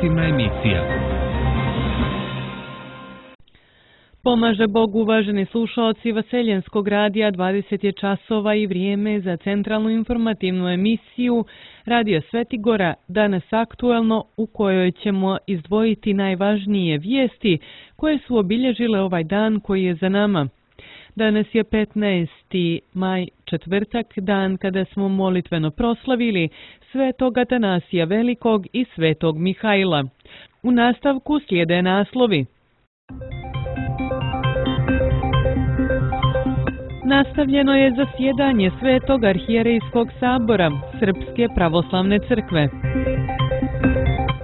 informativna emisija. Pomaže Bog, uvaženi slušaoci Vaseljenskog radija, 20 je časova i vrijeme za centralnu informativnu emisiju Radio Svetigora, danas aktuelno, u kojoj ćemo izdvojiti najvažnije vijesti koje su obilježile ovaj dan koji je za nama. Danas je 15. maj, četvrtak, dan kada smo molitveno proslavili Svetog Atanasija Velikog i Svetog Mihajla. U nastavku slijede naslovi. Nastavljeno je zasjedanje Svetog arhijerejskog sabora Srpske pravoslavne crkve.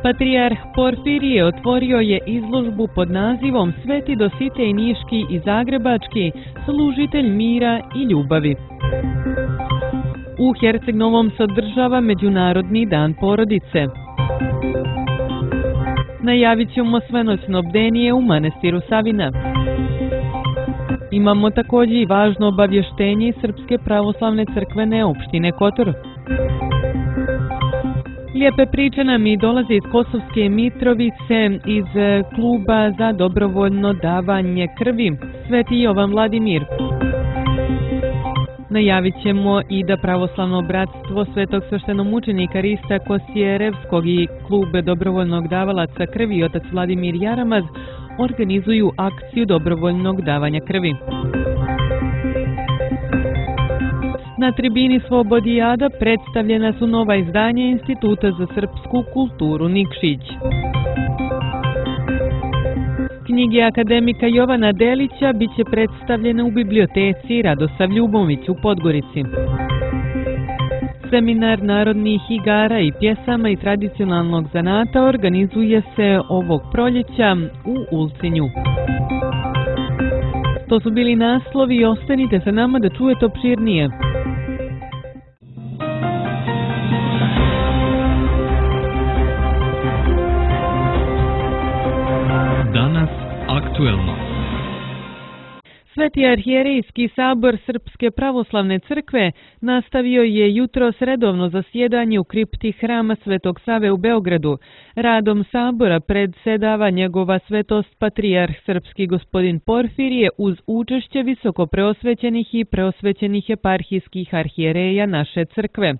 Patrijarh Porfirije otvorio je izložbu pod nazivom Sveti Dositej Niški i Zagrebački, služitelj mira i ljubavi. U Herceg-Novom se održava Međunarodni dan porodice. Najavit ćemo svenoćno bdenije u manastiru Savina. Imamo također i važno obavještenje iz Srpske pravoslavne crkvene opštine Kotor. Lijepe priče nam i dolaze iz Kosovske Mitrovice, iz kluba za dobrovoljno davanje krvi Sveti Jovan Vladimir. Najavit ćemo i da Pravoslavno bratstvo Svetog sveštenomučenika Rista Kosijerevskog i klub dobrovoljnog davalaca krvi otac Vladimir Jaramaz organizuju akciju dobrovoljnog davanja krvi. Na tribini Slobodijada predstavljena su nova izdanja Instituta za srpsku kulturu Nikšić. Knjige akademika Jovana Delića biće predstavljene u biblioteci Radosav Ljubović u Podgorici. Seminar narodnih igara i pjesama i tradicionalnog zanata organizuje se ovog proljeća u Ulcinju. To su bili naslovi i ostanite sa nama da čujete opširnije. Danas aktuelno. Sveti arhijerejski sabor Srpske pravoslavne crkve nastavio je jutros redovno zasjedanje u kripti Hrama Svetog Save u Beogradu. Radom sabora predsedava njegova svetost patrijarh srpski gospodin Porfirije uz učešće visoko preosvećenih i preosvećenih eparhijskih arhijereja naše crkve.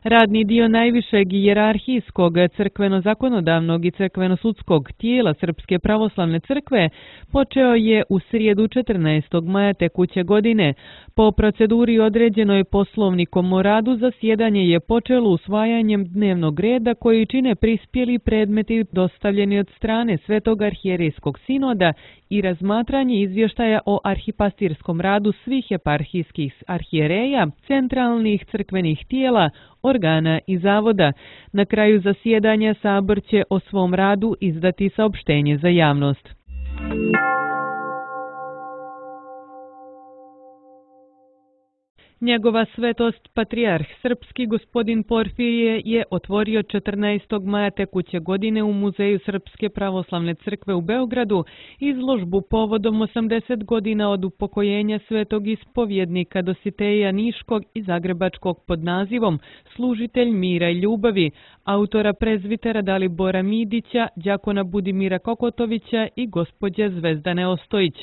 Radni dio najvišeg hijerarhijskog, crkveno-zakonodavnog i crkveno-sudskog tijela Srpske pravoslavne crkve počeo je u srijedu 14. maja tekuće godine. Po proceduri određenoj poslovnikom o radu zasjedanje je počelo usvajanjem dnevnog reda koji čine prispjeli predmeti dostavljeni od strane Svetog arhijerejskog sinoda i razmatranje izvještaja o arhipastirskom radu svih eparhijskih arhijereja, centralnih crkvenih tijela, organa i zavoda. Na kraju zasjedanja sabor će o svom radu izdati saopštenje za javnost. Njegova svetost patrijarh srpski gospodin Porfirije je otvorio 14. maja tekuće godine u Muzeju Srpske pravoslavne crkve u Beogradu izložbu povodom 80 godina od upokojenja svetog ispovjednika Dositeja Niškog i Zagrebačkog pod nazivom Služitelj mira i ljubavi, autora prezvitera Dalibora Midića, đakona Budimira Kokotovića i gospođe Zvezdane Ostojić.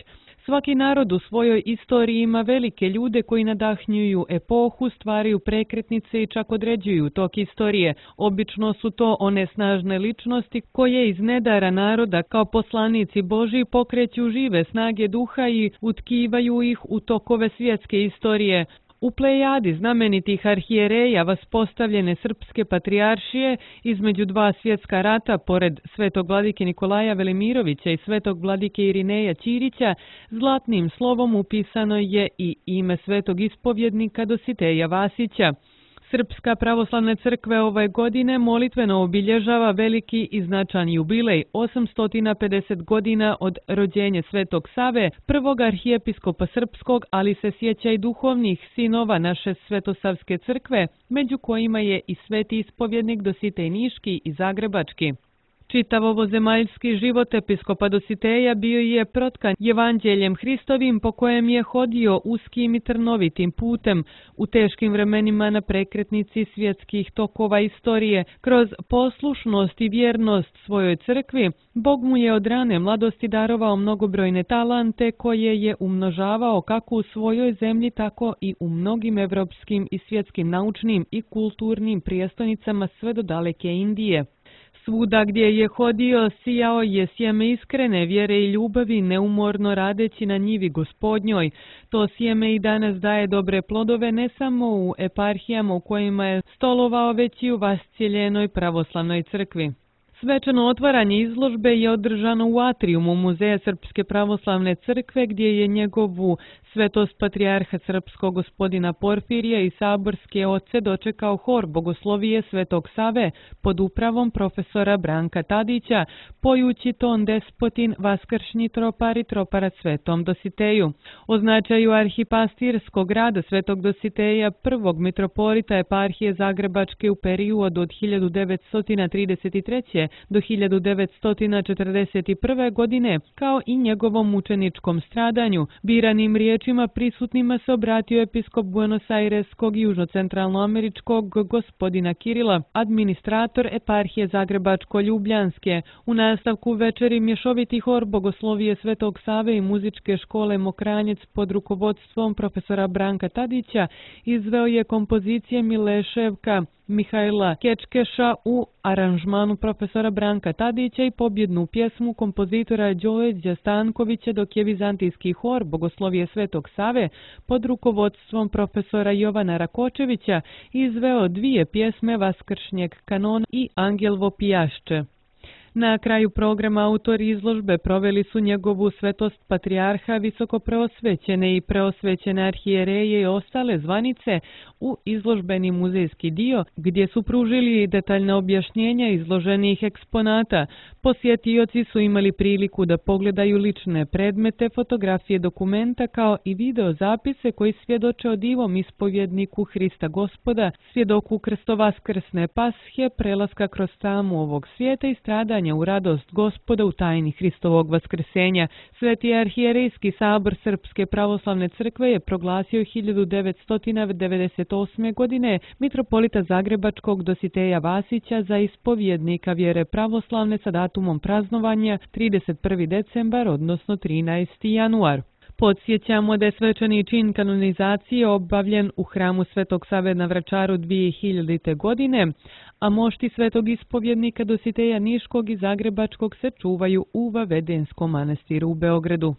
Svaki narod u svojoj istoriji ima velike ljude koji nadahnjuju epohu, stvaraju prekretnice i čak određuju tok istorije. Obično su to one snažne ličnosti koje iz nedara naroda kao poslanici Božji pokreću žive snage duha i utkivaju ih u tokove svjetske istorije. U plejadi znamenitih arhijereja vaspostavljene srpske patrijaršije između dva svjetska rata, pored svetog vladike Nikolaja Velimirovića i svetog vladike Irineja Ćirića, zlatnim slovom upisano je i ime svetog ispovjednika Dositeja Vasića. Srpska pravoslavna crkva ove godine molitveno obilježava veliki i značajan jubilej 850 godina od rođenja Svetog Save, prvog arhijepiskopa srpskog, ali se sjeća i duhovnih sinova naše Svetosavske crkve, među kojima je i sveti ispovjednik Dositej Niški i Zagrebački. Čitav ovozemaljski život episkopa Dositeja bio je protkan evanđeljem Hristovim po kojem je hodio uskim i trnovitim putem u teškim vremenima na prekretnici svjetskih tokova istorije. Kroz poslušnost i vjernost svojoj crkvi, Bog mu je od rane mladosti darovao mnogobrojne talante koje je umnožavao kako u svojoj zemlji, tako i u mnogim evropskim i svjetskim naučnim i kulturnim prijestolnicama sve do daleke Indije. Svuda gdje je hodio, sijao je sjeme iskrene vjere i ljubavi, neumorno radeći na njivi Gospodnjoj. To sjeme i danas daje dobre plodove ne samo u eparhijama u kojima je stolovao, već i u Vascijeljenoj pravoslavnoj crkvi. Svečano otvaranje izložbe je održano u atrijumu Muzeja Srpske pravoslavne crkve, gdje je njegovu svetost patrijarha srpskog gospodina Porfirija i saborske oce dočekao hor Bogoslovije Svetog Save pod upravom profesora Branka Tadića, pojući ton Despotin vaskršnji tropar i troparac Svetom Dositeju. O značaju arhipastirskog rada Svetog Dositeja, prvog mitropolita eparhije Zagrebačke u periodu od 1933. do 1941. godine, kao i njegovom mučeničkom stradanju, biranim riječima prisutnima se obratio episkop Buenos Aireskog i južnocentralnoameričkog gospodina Kirila, administrator eparhije Zagrebačko-Ljubljanske. U nastavku večeri mješoviti hor Bogoslovije Svetog Save i muzičke škole Mokranjec pod rukovodstvom profesora Branka Tadića izveo je kompozicije Mileševka Mihajla Kečkeša u aranžmanu profesora Branka Tadića i pobjednu pjesmu kompozitora Đorđa Stankovića, dok je vizantijski hor Bogoslovije Svetog Save pod rukovodstvom profesora Jovana Rakočevića izveo dvije pjesme Vaskršnjeg kanona i Angelvo pijašče. Na kraju programa autori izložbe proveli su njegovu svetost patrijarha, visokopreosvećene i preosvećene arhijereje i ostale zvanice u izložbeni muzejski dio, gdje su pružili detaljna objašnjenja izloženih eksponata. Posjetioci su imali priliku da pogledaju lične predmete, fotografije dokumenta kao i video zapise koji svjedoče o divom ispovjedniku Hrista Gospoda, svjedoku krstovaskrsne pashe, prelaska kroz tamu ovog svijeta i stradanja u radost Gospoda u tajni Hristovog vaskrsenja. Sveti arhijerejski sabor Srpske pravoslavne crkve je proglasio 1998. godine mitropolita Zagrebačkog Dositeja Vasića za ispovjednika vjere pravoslavne sa datumom praznovanja 31. decembar, odnosno 13. januar. Podsjećamo da je svečani čin kanonizacije obavljen u hramu Svetog Save na Vračaru 2000. godine, a mošti svetog ispovjednika Dositeja Niškog i Zagrebačkog se čuvaju u Vavedenskom manastiru u Beogradu.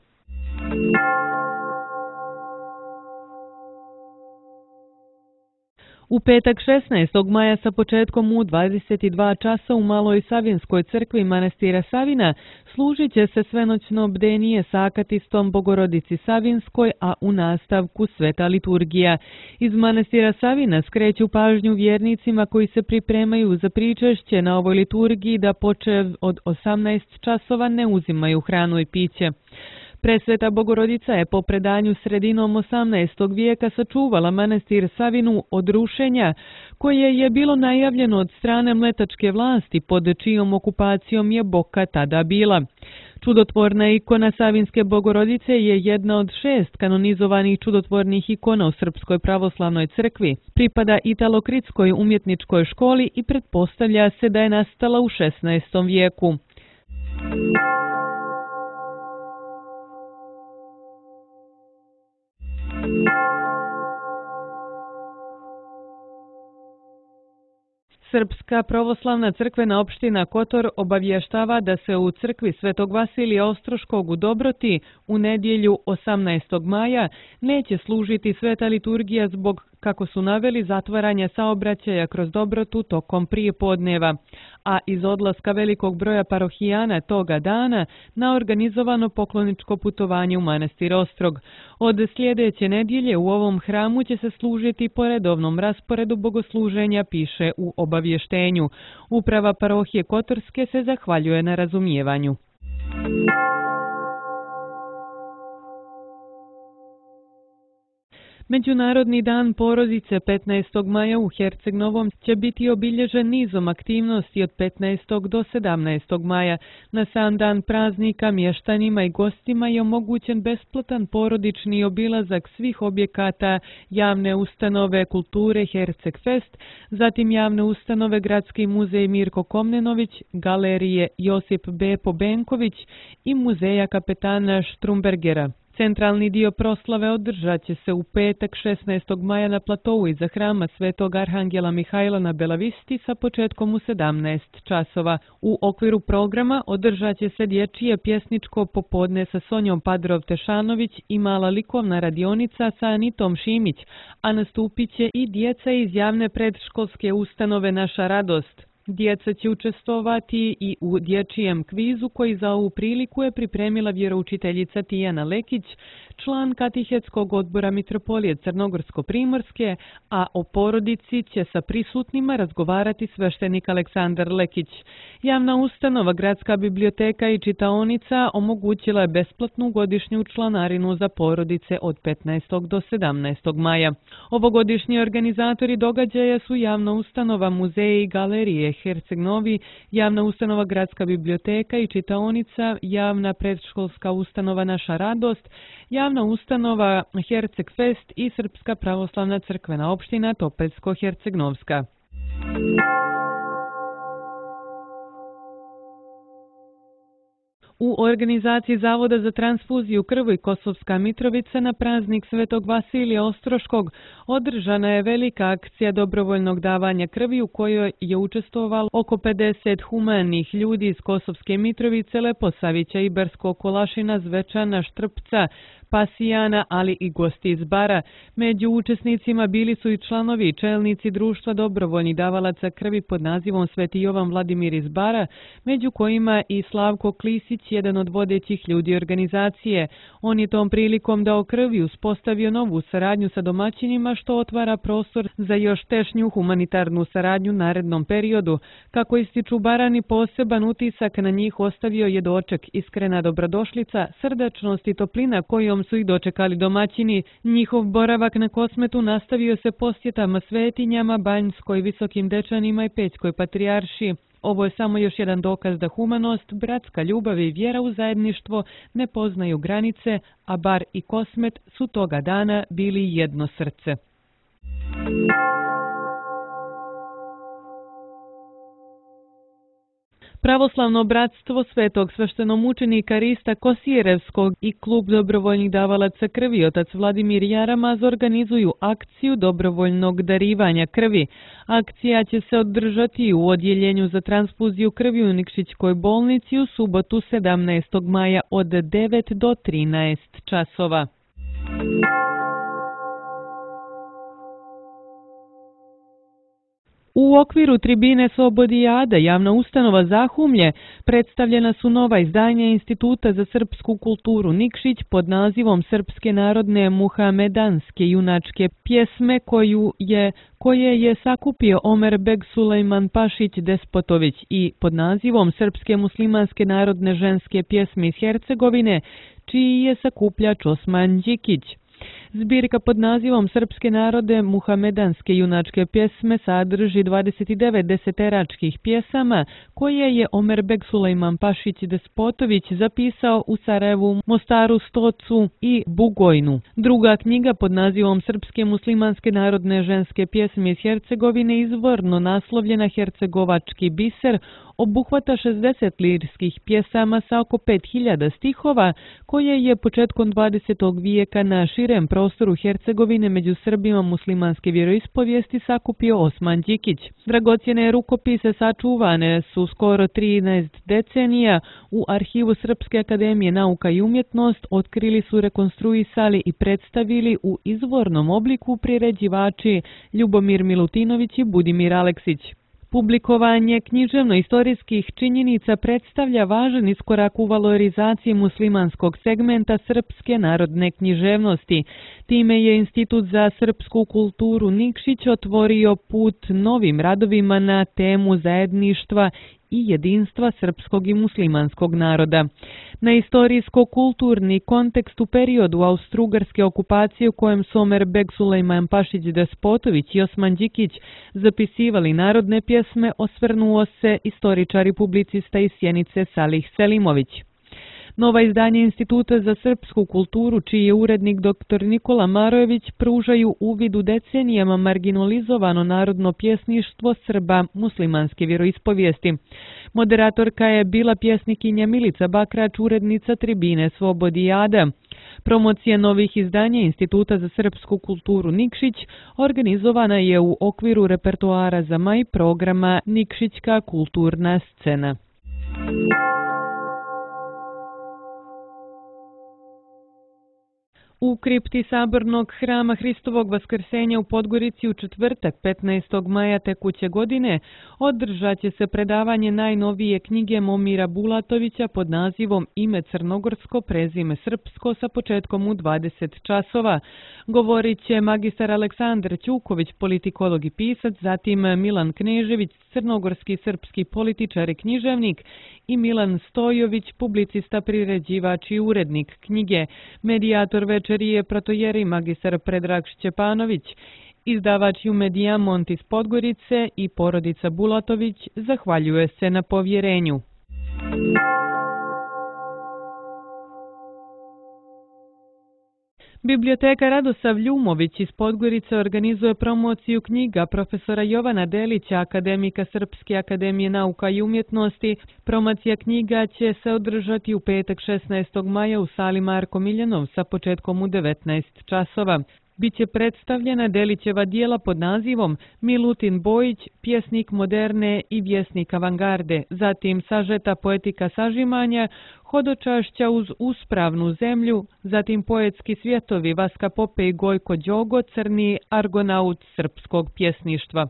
U petak 16. maja sa početkom u 22 časa u Maloj Savinskoj crkvi manastira Savina služit će se svenoćno bdenije sa akatistom Bogorodici Savinskoj, a u nastavku sveta liturgija. Iz manastira Savina skreću pažnju vjernicima koji se pripremaju za pričešće na ovoj liturgiji da počev od 18 časova ne uzimaju hranu i piće. Presveta Bogorodica je po predanju sredinom 18. vijeka sačuvala manastir Savinu od rušenja, koje je bilo najavljeno od strane mletačke vlasti, pod čijom okupacijom je Boka tada bila. Čudotvorna ikona Savinske Bogorodice je jedna od 6 kanonizovanih čudotvornih ikona u Srpskoj pravoslavnoj crkvi. Pripada Italokritskoj umjetničkoj školi i pretpostavlja se da je nastala u 16. vijeku. Srpska pravoslavna crkvena opština Kotor obavještava da se u crkvi Svetog Vasilija Ostroškog u Dobroti u nedjelju 18. maja neće služiti sveta liturgija zbog, kako su naveli, zatvaranja saobraćaja kroz Dobrotu tokom prijepodneva, a iz odlaska velikog broja parohijana toga dana na organizovano pokloničko putovanje u manastir Ostrog. Od sljedeće nedjelje u ovom hramu će se služiti po redovnom rasporedu bogosluženja, piše u obavještenju. Uprava parohije Kotorske se zahvaljuje na razumijevanju. Međunarodni dan porodice 15. maja u Herceg Novom će biti obilježen nizom aktivnosti od 15. do 17. maja. Na sam dan praznika mještanima i gostima je omogućen besplatan porodični obilazak svih objekata javne ustanove kulture Herceg Fest, zatim javne ustanove Gradski muzej Mirko Komnenović, galerije Josip Bepo Benković i muzeja kapetana Štrumbergera. Centralni dio proslave održat će se u petak 16. maja na platovu iza hrama Svetog Arhangela Mihajla na Belavisti sa početkom u 17 časova. U okviru programa održat će se dječje pjesničko popodne sa Sonjom Padrov-Tešanović i mala likovna radionica sa Anitom Šimić, a nastupit će i djeca iz javne predškolske ustanove Naša radost. Djeca će učestvovati i u dječjem kvizu koji za ovu priliku je pripremila vjeroučiteljica Tijana Lekić, član Katehetskog odbora Mitropolije Crnogorsko-Primorske, a o porodici će sa prisutnima razgovarati sveštenik Aleksandar Lekić. Javna ustanova Gradska biblioteka i čitaonica omogućila je besplatnu godišnju članarinu za porodice od 15. do 17. maja. Ovogodišnji organizatori događaja su javna ustanova Muzeji i galerije Herceg Novi, javna ustanova Gradska biblioteka i čitaonica, javna predškolska ustanova Naša radost, javna ustanova Herceg Fest i Srpska pravoslavna crkvena opština Topeljsko-Hercegnovska. U organizaciji Zavoda za transfuziju krvi Kosovska Mitrovica na praznik Svetog Vasilija Ostroškog održana je velika akcija dobrovoljnog davanja krvi u kojoj je učestvovalo oko 50 humanih ljudi iz Kosovske Mitrovice, Leposavića, Ibarskog Kolašina, Zvečana, Štrpca, Pasijana, ali i gosti iz Bara. Među učesnicima bili su i članovi i čelnici društva dobrovoljnih davalaca krvi pod nazivom Sveti Jovan Vladimir iz Bara, među kojima i Slavko Klisić, jedan od vodećih ljudi organizacije. On je tom prilikom dao krv i uspostavio novu saradnju sa domaćinima, što otvara prostor za još tešnju humanitarnu saradnju u narednom periodu. Kako ističu Barani, poseban utisak na njih ostavio je doček, iskrena dobrodošlica, srdačnost i toplina kojom su ih dočekali domaćini. Njihov boravak na Kosmetu nastavio se posjetama svetinjama, Banjskoj, Visokim Dečanima i Pećkoj patrijarši. Ovo je samo još jedan dokaz da humanost, bratska ljubav i vjera u zajedništvo ne poznaju granice, a Bar i Kosmet su toga dana bili jedno srce. Pravoslavno bratstvo Svetog sveštenomučenika Rista Kosjerevskog i klub dobrovoljnih davalaca krvi Otac Vladimir Jaramaz organizuju akciju dobrovoljnog darivanja krvi. Akcija će se održati u odjeljenju za transfuziju krvi u Nikšićkoj bolnici u subotu 17. maja od 9 do 13 časova. U okviru tribine Slobodijada, javna ustanova Zahumlje, predstavljena su nova izdanja Instituta za srpsku kulturu Nikšić pod nazivom Srpske narodne muhamedanske junačke pjesme koje je sakupio Omer Beg Sulejman Pašić Despotović i pod nazivom Srpske muslimanske narodne ženske pjesme iz Hercegovine, čiji je sakupljač Osman Đikić. Zbirka pod nazivom Srpske narode muhamedanske junačke pjesme sadrži 29 deseteračkih pjesama koje je Omer Beg Sulejman Pašić Despotović zapisao u Sarajevu, Mostaru, Stocu i Bugojnu. Druga knjiga pod nazivom Srpske muslimanske narodne ženske pjesme iz Hercegovine, izvorno naslovljena Hercegovački biser, obuhvata 60 lirskih pjesama sa oko 5000 stihova koje je početkom 20. vijeka na širem prostoru Hercegovine među Srbima muslimanske vjeroispovijesti sakupio Osman Đikić. Dragocjene rukopise sačuvane su skoro 13 decenija u arhivu Srpske akademije nauka i umjetnost, otkrili su, rekonstruisali i predstavili u izvornom obliku priređivači Ljubomir Milutinović i Budimir Aleksić. Publikovanje književno-istorijskih činjenica predstavlja važan iskorak u valorizaciji muslimanskog segmenta srpske narodne književnosti. Time je Institut za srpsku kulturu Nikšić otvorio put novim radovima na temu zajedništva i jedinstva srpskog i muslimanskog naroda. Na istorijsko-kulturni kontekst u periodu austrougarske okupacije u kojem su Omer Beg Sulejman Pašić Despotović i Osman Đikić zapisivali narodne pjesme, osvrnuo se istoričar i publicista iz Sjenice Salih Selimović. Nova izdanja Instituta za srpsku kulturu, čiji je urednik dr. Nikola Marojević, pružaju uvid u decenijama marginalizovano narodno pjesništvo Srba muslimanske vjeroispovijesti. Moderatorka je bila pjesnikinja Milica Bakrač, urednica tribine Slobodijada. Promocija novih izdanja Instituta za srpsku kulturu Nikšić organizovana je u okviru repertoara za maj programa Nikšićka kulturna scena. U kripti Sabornog hrama Hristovog Vaskrsenja u Podgorici u četvrtak 15. maja tekuće godine održat će se predavanje najnovije knjige Momira Bulatovića pod nazivom Ime crnogorsko, prezime srpsko sa početkom u 20 časova. Govorit će magistar Aleksandar Ćuković, politikolog i pisac, zatim Milan Knežević, crnogorski srpski političar i književnik, i Milan Stojović, publicista, priređivač i urednik knjige. Medijator večeri je protojeri magistar Predrag Šćepanović. Izdavač Medijamont iz Podgorice i porodica Bulatović zahvaljuje se na povjerenju. Biblioteka Radosav Ljumović iz Podgorice organizuje promociju knjiga profesora Jovana Delića, akademika Srpske akademije nauka i umjetnosti. Promocija knjiga će se održati u petak 16. maja u sali Marko Miljanov sa početkom u 19 časova. Biće predstavljena Delićeva dijela pod nazivom Milutin Bojić, pjesnik moderne i vjesnik avangarde, zatim sažeta poetika sažimanja, hodočašća uz uspravnu zemlju, zatim poetski svjetovi Vaska Pope i Gojko Đogo, crni argonaut srpskog pjesništva.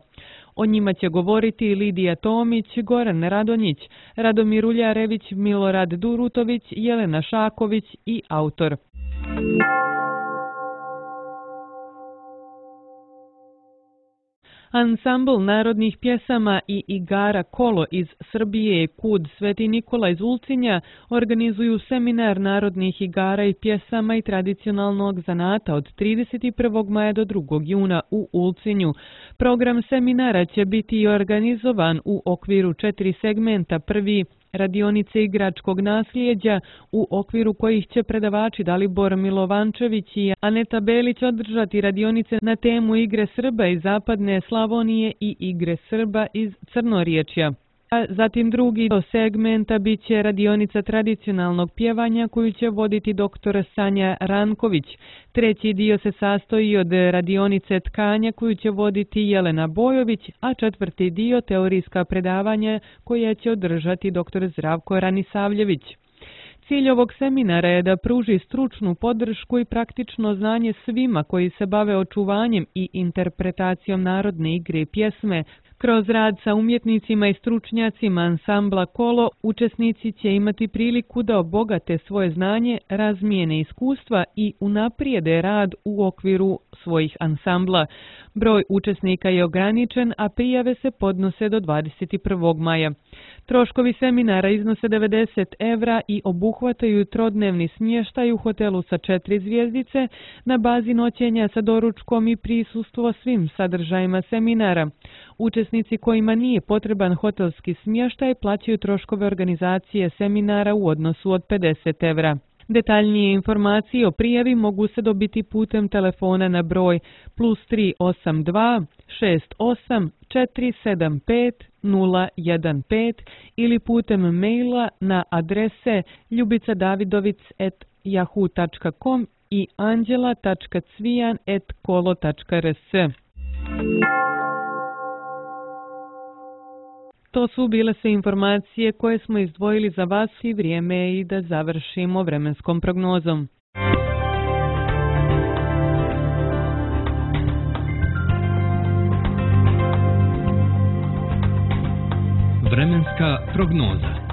O njima će govoriti Lidija Tomić, Goran Radonjić, Radomir Uljarević, Milorad Durutović, Jelena Šaković i autor. Ansambl narodnih pjesama i igara Kolo iz Srbije i Kud Sveti Nikola iz Ulcinja organizuju seminar narodnih igara i pjesama i tradicionalnog zanata od 31. maja do 2. juna u Ulcinju. Program seminara će biti organizovan u okviru 4 segmenta. Prvi, radionice igračkog nasljeđa, u okviru kojih će predavači Dalibor Milovančević i Aneta Belić održati radionice na temu igre Srba iz Zapadne Slavonije i igre Srba iz Crnoriječja. Zatim drugi segmenta bit će radionica tradicionalnog pjevanja koju će voditi dr. Sanja Ranković. Treći dio se sastoji od radionice tkanja koju će voditi Jelena Bojović, a četvrti dio teorijska predavanja koja će održati dr. Zdravko Ranisavljević. Cilj ovog seminara je da pruži stručnu podršku i praktično znanje svima koji se bave očuvanjem i interpretacijom narodne igre i pjesme. Kroz rad sa umjetnicima i stručnjacima ansambla Kolo, učesnici će imati priliku da obogate svoje znanje, razmijene iskustva i unaprijede rad u okviru svojih ansambla. Broj učesnika je ograničen, a prijave se podnose do 21. maja. Troškovi seminara iznose 90 € i obuhvataju trodnevni smještaj u hotelu sa 4 zvjezdice na bazi noćenja sa doručkom i prisustvo svim sadržajima seminara. Učesnici kojima nije potreban hotelski smještaj plaćaju troškove organizacije seminara u odnosu od 50 €. Detaljnije informacije o prijavi mogu se dobiti putem telefona na broj +382 68 475 015 ili putem maila na adrese ljubicadavidovic@yahoo.com i anđela.cvijan@kolo.rs. To su bile sve informacije koje smo izdvojili za vas i vrijeme je i da završimo vremenskom prognozom. Vremenska prognoza.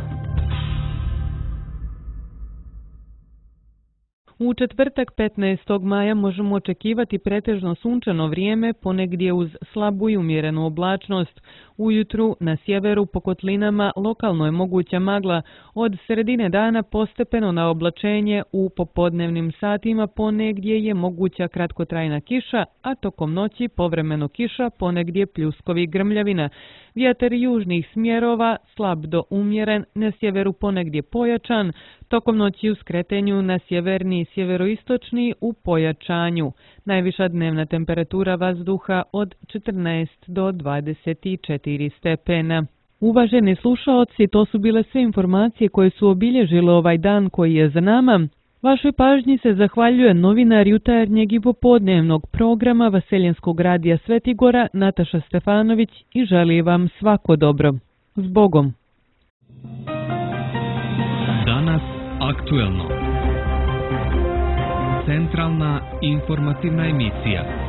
U četvrtak 15. maja možemo očekivati pretežno sunčano vrijeme, ponegdje uz slabu i umjerenu oblačnost. Ujutru na sjeveru po kotlinama lokalno je moguća magla, od sredine dana postepeno na oblačenje, u popodnevnim satima ponegdje je moguća kratkotrajna kiša, a tokom noći povremeno kiša, ponegdje pljuskovi grmljavina. Vjetar južnih smjerova slab do umjeren, na sjeveru ponegdje pojačan, tokom noći u skretenju na sjeverni i sjeveroistočni u pojačanju. Najviša dnevna temperatura vazduha od 14 do 24 stepena. Uvaženi slušaoci, to su bile sve informacije koje su obilježile ovaj dan koji je za nama. Vašoj pažnji se zahvaljuje novinar jutarnjeg i popodnevnog programa Vaseljenskog radija Svetigora Nataša Stefanović i želi vam svako dobro. Zbogom! Danas aktuelno. Centralna informativna emisija.